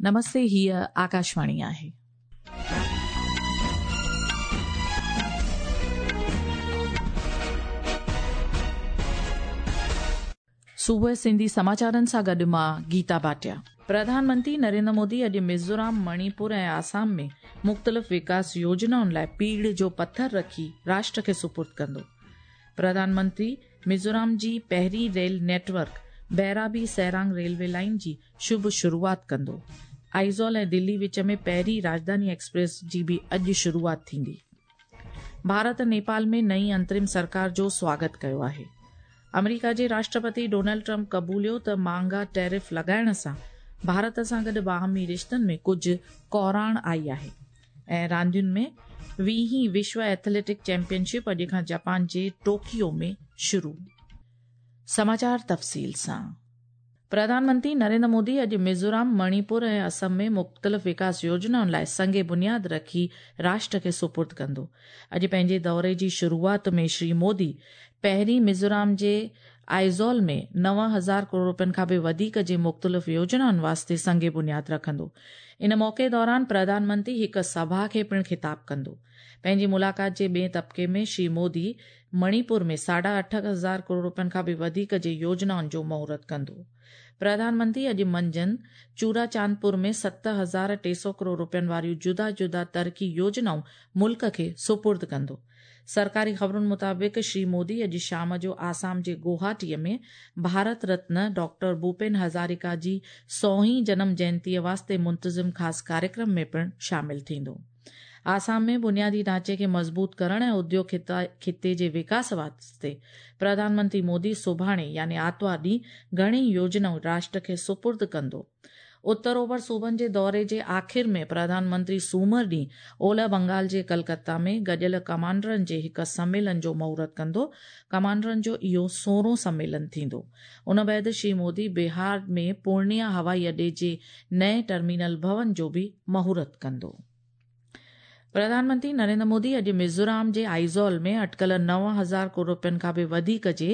نمستي هيء آڪاشواڻي آهي. صبح سنڌي سماچارن سان گڏ مان گيتا ڀاٽيا. پرڌان منتري نريندر مودي اڄ ميزورام، مڻيپور ۽ آسام ۾ مختلف وڪاس يوجنائن لاءِ پيڙهه جو پٿر رکي راشٽر کي سپرد ڪندو. پرڌان منتري ميزورام جي پهرين rail network Bairabi Sairang railway line جي شڀ شروعات ڪندو. آئزول ۽ دلي وچ ۾ پهرين راڄڌاني ايڪسپريس جي به اڄ شروعات ٿيندي. ڀارت نيپال ۾ نئين انترم سرڪار جو سواگت ڪيو آهي. آمريڪا جي راشٽرپتي ڊونلڊ ٽرمپ قبوليو ته مهانگا ٽيرف لڳائڻ سان ڀارت سان گڏ باهمي رشتن ۾ ڪجهه ڪوراڻ آئي آهي. ۽ راندين ۾ 20هين وشو ايٿليٽڪ چيمپيئن شپ اڄ کان جاپان جي ٽوڪيو ۾ شروع. سماچار تفصيل سان. پرڌان منتري نريندر مودي اڄ ميزورام، مڻيپور ۽ اسم ۾ مختلف وڪاس يوجنائن لاءِ سنگ بنياد رکي راشٽر کي سپرد ڪندو. اڄ پنهنجي دوري جي شروعات ۾ شري مودي پهرين ميزورام جي آئزول ۾ 9000 ڪروڙ رپين کان به وڌيڪ جي مختلف يوجنائن واسطي سنگ بنياد رکندو. ان موقعي دوران پرڌان منتري هڪ سڀا کي پڻ خطاب ڪندو. پنهنجي ملاقات جي ٻئي طبقي ۾ شري مودي مڻيپور ۾ 8500 ڪروڙ رپين کان به وڌيڪ جي يوجنائن جو مهورت ڪندو. پرڌان منتري اڄ منجهند چوراچاندپور ۾ 7300 ڪروڙ رپين واريون جدا جدا ترقي يوجنائون ملڪ کي سپرد ڪندو. سرڪاري خبرن مطابق شري مودي اڄ شام جو آسام جي گوهاٽيءَ ۾ ڀارت رتن ڊاڪٽر ڀوپين هزاريڪا جي 100هين جنم جينتيءَ واسطي منتظم خاص ڪاريڪرم ۾ پڻ شامل ٿيندو. آسام ۾ بنيادي ڍانچي کي مضبوط ڪرڻ ۽ اديوگ خطي جي وڪاس واسطي پرڌان منتري مودي سڀاڻي يعني آتوار ڏينهن گهڻيئي يوجنائون راشٽر کي سپرد ڪندو. اتر اوڀر صوبن جي دوري جي آخر ۾ پرڌان منتري سومر ڏينهن اولهه بنگال جي ڪلڪتا ۾ گڏيل ڪمانڊرن جي هڪ سميلن جو مهورت ڪندو. ڪمانڊرن جو اهو 16هون سميلن ٿيندو. ان بعد شري مودي بهار ۾ پورنيا هوائي اڏي جي نئين ٽرمينل ڀون جو به مهورت ڪندو. پرڌان منتري نريندر مودي اڄ ميزورام جي آئزول ۾ اٽڪل 9000 ڪروڙ رپين کان به وڌيڪ جي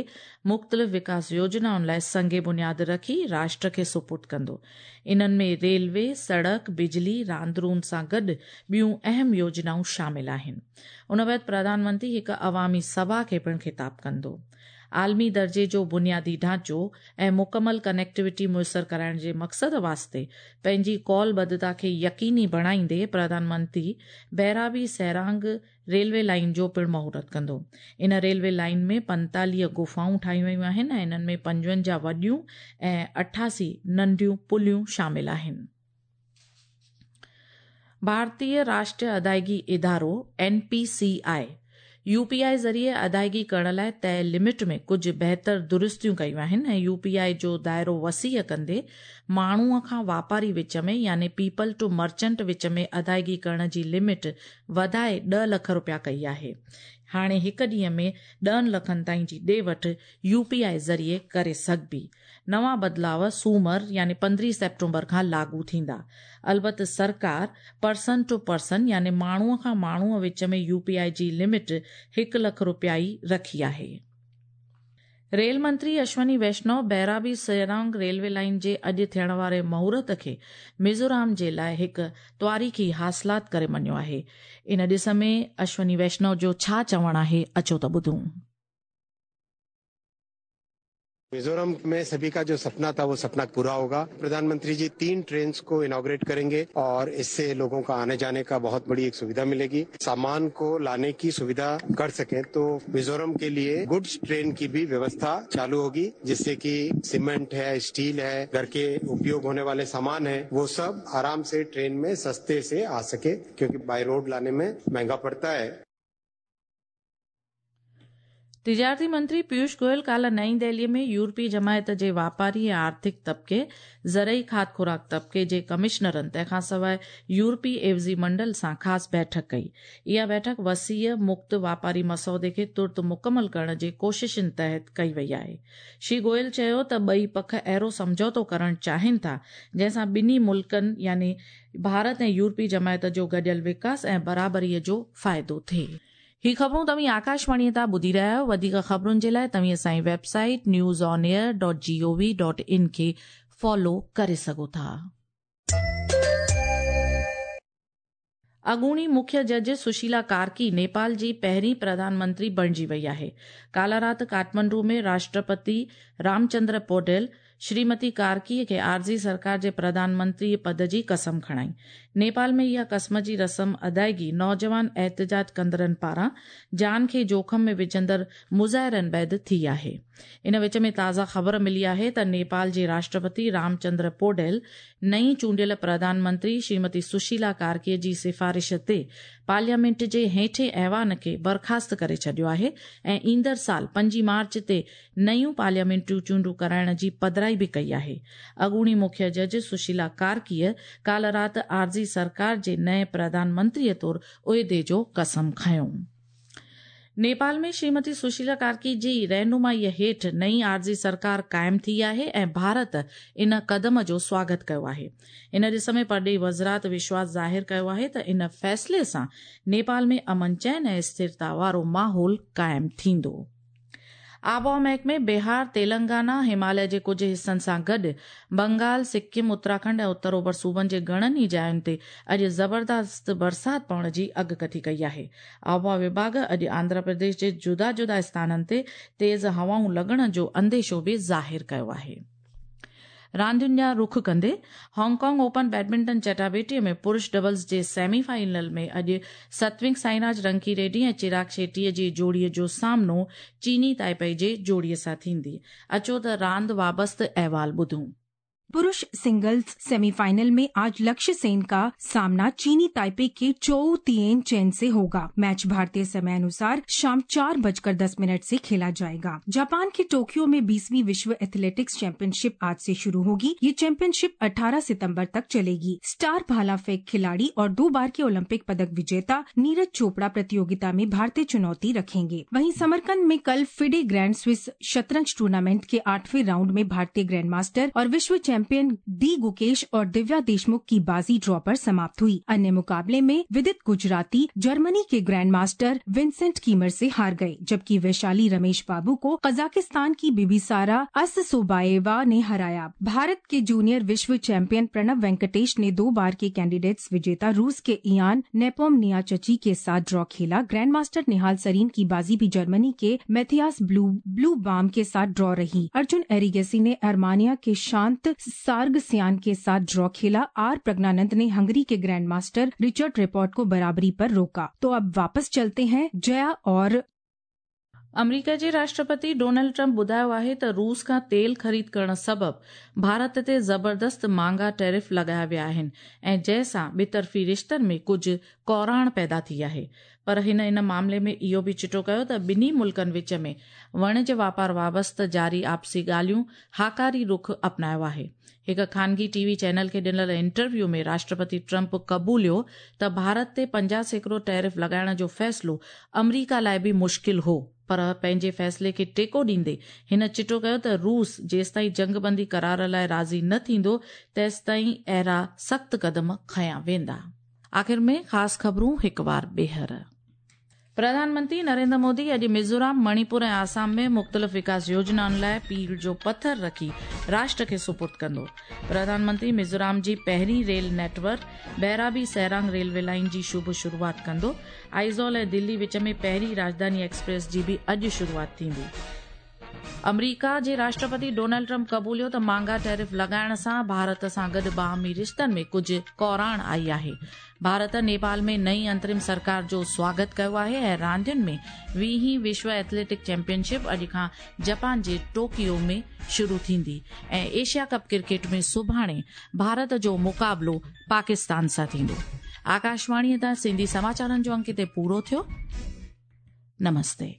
مختلف وڪاس يوجنائن لاءِ سنگ بنياد رکي راشٽر کي سپرد ڪندو. انهن ۾ ريلوي، سڙڪ، بجلي، راند روند سان گڏ ٻيون اهم يوجنائون شامل آهن. ان بعد پرڌان منتري هڪ عوامي سڀا کي پڻ خطاب ڪندو. عالمي درجي جو بنيادي ڍانچو ۽ مڪمل ڪنيڪٽيوٽي ميسر ڪرائڻ جي مقصد واسطي پنهنجي قولبڌتا کي يقيني بڻائيندي پرڌان منتري بيرابي سيرانگ ريلوي لائين جو پڻ مهورت ڪندو. ان ريلوي لائين ۾ 45 غفائون ٺاهيون ويون آهن ۽ انهن ۾ 55 وڏيون ۽ 88 ننڍيون پليون شامل آهن. ڀارتيه راشٽريه ادائگي ادارو، N P C I, U P I ذريعي ادائگي ڪرڻ لاءِ طئي لمٽ ۾ ڪجهه بهتر درستيون ڪيون آهن ۽ يو پي آء جو دائرو وسيع ڪندي ماڻهوءَ کان واپاري وچ ۾ يعني پيپل ٽو مرچنٽ وچ ۾ ادائگي ڪرڻ جي لمٽ وڌائي 10 لک رپيا ڪئي آهي. هاڻي هڪ ڏينهن ۾ 10 لکن تائين جي ڏي وٺ يو پي آء ذريعي ڪري سگهبي. نوان بدلاء سومر يعني 15 سيپٽمبر کان لاڳو ٿيندا. البت سرڪار پرسن ٽو پرسن يعني ماڻهوءَ کان ماڻهوءَ وچ ۾ يو پي آء جي لمٽ 1 لک رپيا ئي رکي آهي. ريل منتري اشوني ويشنو بيرابي سيرانگ ريلوي لائين جي اڄ ٿيڻ واري مهورت کي ميزورام جي لاءِ هڪ تواريخي حاصلات ڪري مڃيو آهي. ان ڏس ۾ اشوني ويشنو جو ڇا چوڻ آهي اچو ته ٻڌون. मिजोरम में सभी का जो सपना था वो सपना पूरा होगा। प्रधानमंत्री जी 3 ट्रेन्स को इनॉग्रेट करेंगे और इससे लोगों का आने जाने का बहुत बड़ी एक सुविधा मिलेगी। सामान को लाने की सुविधा कर सकें तो मिजोरम के लिए गुड्स ट्रेन की भी व्यवस्था चालू होगी, जिससे कि सीमेंट है, स्टील है, घर के उपयोग होने वाले सामान है, वो सब आराम से ट्रेन में सस्ते से आ सके, क्योंकि बाय रोड लाने में महंगा पड़ता है। तिजारती मंत्री पीयूष गोयल काल्ह नई दिल्लीअ में यूरोपीय जमायत जे वापारी ऐं आर्थिक तबके, ज़रई खाध खुराक तबके जे कमिश्नरनि तंहिंखां सवाइ यूरोपीय एवज़ी मंडल सां ख़ासि बैठक कई। इहा बैठक वसीअ मुक्त वापारी मसौदे खे तुर्त मुकमल करण जे कोशिशनि तहत कई वई आहे। श्री गोयल चयो त ॿई पख अहिड़ो सम्झौतो करण चाहिनि था जंहिंसां ॿिन्ही मुल्कनि यानी भारत ऐं यूरोपीय जमायत जो गॾियल विकास ऐं बराबरीअ जो फ़ाइदो थिए। ही ख़बरूं तव्हीं आकाशवाणीअ तां ॿुधी रहिया आहियो। वधीक ख़बरुनि जे लाइ तव्हीं असांजी website news on air dot G O V dot in खे फॉलो करे सघो था। अॻूणी मुख्य जज सुशीला कार्की नेपाल जी पहिरीं प्रधानमंत्री बणिजी वई आहे। काल्ह राति काठमांडू में राष्ट्रपति रामचंद्र पौडेल श्रीमती कार्कीअ खे आरज़ी सरकार जे प्रधानमंत्री पद जी कसम खणाई। नेपाल में इहा कसम जी रस्म अदायगी नौजवान एहतजाज कंदड़नि पारां जान खे जोख़िम में विझंदड़ मुज़ाहिरनि बाद थी आहे। इन विच में ताज़ा ख़बर मिली आहे त नेपाल जे राष्ट्रपति रामचंद्र पौडेल नई चूंडियल प्रधानमंत्री श्रीमती सुशीला कार्कीअ जी सिफारिश ते पार्लियामेंट जे हेठे ऐवान खे बर्खास्त करे छॾियो आहे ऐं ईंदड़ साल 5 मार्च ते नयूं पार्लियामेंटरी चूंडूं कराइण जी पधराई बि कई आहे। अॻूणी मुख्य जज सुशीला कार्कीअ काल्ह राति आरज़ी सरकार जे नए प्रधानमंत्रीअ तौरु उहिदे जो कसम खयो। नेपाल में श्रीमती सुशीला कार्की जी रहनुमाईअ हेठि नई आरज़ी सरकार क़ाइमु थी आहे ऐं भारत इन कदम जो स्वागत कयो आहे। इन ॾिस में परॾेही वज़ारत विश्वास ज़ाहिर कयो आहे त इन फ़ैसिले सां नेपाल में अमन चैन ऐं स्थिरता वारो माहौल क़ाइमु थींदो। आबहावा महकमे बिहार, तेलंगाना, हिमालय जे कुझु हिसनि सां गॾु बंगाल, सिक्किम, उत्तराखंड ऐं उत्तर ओभर सूबनि जे घणनि ई जायुनि ते अॼु ज़बरदस्त बरसाति पवण जी अॻकथी कई आहे। आबहावा विभाग अॼु आंध्र प्रदेश जे जुदा जुदा स्थाननि ते तेज़ हवाऊं लॻण जो अंदेशो बि ज़ाहिर कयो आहे। रांदियुनि ॾांहुं रुख कंदे हांगकांग ओपन बैडमिंटन चटाबेटीअ में पुरुष डबल्स जे सेमीफाइनल में अॼु सत्विक साईराज रंकी रेड्डी ऐं चिराग शेट्टीअ जी जोड़ीअ जो सामनो चीनी ताइपेई जे जोड़ीअ सां थींदी। अचो त रांदि वाबस्ते अहवाल ॿुधूं। पुरुष सिंगल्स सेमीफाइनल में आज लक्ष्य सेन का सामना चीनी ताइपे के चोउ तिएन चेन से होगा। मैच भारतीय समय अनुसार शाम 4:10 से खेला जाएगा। जापान के टोक्यो में 20वीं विश्व एथलेटिक्स चैंपियनशिप आज से शुरू होगी। ये चैंपियनशिप 18 सितंबर तक चलेगी। स्टार भाला फेंक खिलाड़ी और 2 बार के ओलंपिक पदक विजेता नीरज चोपड़ा प्रतियोगिता में भारतीय चुनौती रखेंगे। वहीं समरकंद में कल फिडे ग्रैंड स्विस शतरंज टूर्नामेंट के 8वें राउंड में भारतीय ग्रैंड मास्टर और विश्व चैंपियन डी गुकेश और दिव्या देशमुख की बाजी ड्रॉ पर समाप्त हुई। अन्य मुकाबले में विदित गुजराती जर्मनी के ग्रैंड मास्टर विंसेंट कीमर से हार गए, जबकि वैशाली रमेश बाबू को कजाकिस्तान की बिबिसारा अससोबाएवा ने हराया। भारत के जूनियर विश्व चैंपियन प्रणव वेंकटेश ने 2 बार के कैंडिडेट्स विजेता रूस के इयान नेपोमनियाचची के साथ ड्रॉ खेला। ग्रैंड मास्टर निहाल सरीन की बाजी भी जर्मनी के मैथियास ब्लू बाम के साथ ड्रॉ रही। अर्जुन एरिगेसी ने अरमानिया के शांत सार्गसियान के साथ ड्रॉ खेला। Are Praggnanandhaa ने हंगरी के ग्रैंड मास्टर रिचर्ड रिपोर्ट को बराबरी पर रोका। तो अब वापस चलते हैं जया और अमरीका जे राष्ट्रपति डोनाल्ड ट्रंप ॿुधायो आहे त रूस खां तेल ख़रीद करण सबबि भारत ते ज़बरदस्त महंगा टैरिफ लॻाया विया आहिनि ऐं जंहिंसां ॿितरफ़ी रिश्तनि में कुझु कोराण पैदा थी आहे। पर हिन इन मामले में इहो बि चिटो कयो त ॿिन्ही मुल्कनि विच में वणिज वापार वाबस्ते जारी आपसी ॻाल्हियूं हाकारी रुख अपनायो आहे। हिकु ख़ानगी टीवी चैनल खे ॾिनल इंटरव्यू में राष्ट्रपति ट्रंप क़बूलियो त भारत ते 50% टैरिफ लॻाइण जो फ़ैसिलो अमरीका लाइ बि मुश्किल हो, पर पंहिंजे फ़ैसिले खे टेको ॾींदे हिन चिटो कयो त रूस जेसिताईं जंगबंदी करार लाइ राज़ी न थींदो तेसिताईं अहिड़ा सख़्तु क़दम खयां वेंदा। आख़िर में ख़ासि ख़बरूं हिकु वार ॿीहर। प्रधानमंत्री नरेंद्र मोदी अॼु मिज़ोराम, मणिपुर ऐं आसाम में मुख़्तलिफ़ विकास योजनाउनि लाइ पीड़ जो पथर रखी राष्ट्र खे सुपुर्द कंदो। प्रधानमंत्री मिज़ोराम जी पहिरीं rail network Bairabi Sairang railway line जी शुभ शुरूआत कंदो। आइज़ॉल ऐं दिल्ली विच में पहिरीं राजधानी एक्सप्रेस जी बि अॼु शुरूआत थींदी। अमरीका जे राष्ट्रपति डोनाल्ड ट्रंप क़बूलियो त महंगा टैरिफ लॻाइण सां भारत सां गॾु बाहमी रिश्तनि में कुझु कोराण आई आहे। भारत नेपाल में नई अंतरिम सरकार जो स्वागत कयो आहे ऐं रांदियुनि में 20वीं विश्व एथलेटिक चैंपियनशिप अॼु खां जापान जे टोकियो में शुरू थींदी ऐं एशिया कप क्रिकेट में सुभाणे भारत जो मुक़ाबिलो पाकिस्तान सां थींदो। आकाशवाणीअ तां सिंधी समाचारनि जो अंक हिते पूरो थियो। नमस्ते।